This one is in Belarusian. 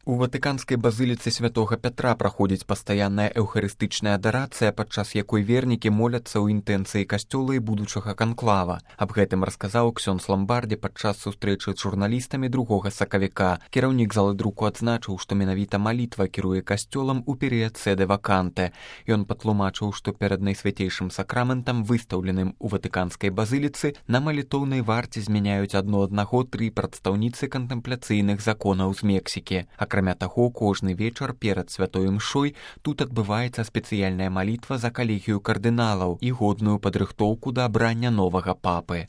У ватыканскай базыліцы святога Пятра праходзіць пастаянная эўхарыстычная адарацыя, падчас якой вернікі моляцца ў інтэнцыі касцёла і будучага канклава. Аб гэтым расказаў ксёндз Ламбардзе падчас сустрэчы з журналістамі 2 сакавіка. Кіраўнік залы друку адзначыў, што менавіта малітва кіруе касцёлам у перыяд сэдэ ваканте. Ён патлумачыў, што перад найсвяцейшым сакраментам, выстаўленым у ватыканскай базыліцы, на малітоўнай варце змяняюць адно аднаго 3 прадстаўніцы кантэмпляцыйных законаў з Мексікі. Акрамя таго, кожны вечар перад святой імшой тут адбываецца спецыяльная малітва за калегію кардыналаў і годную падрыхтоўку да абрання новага папы.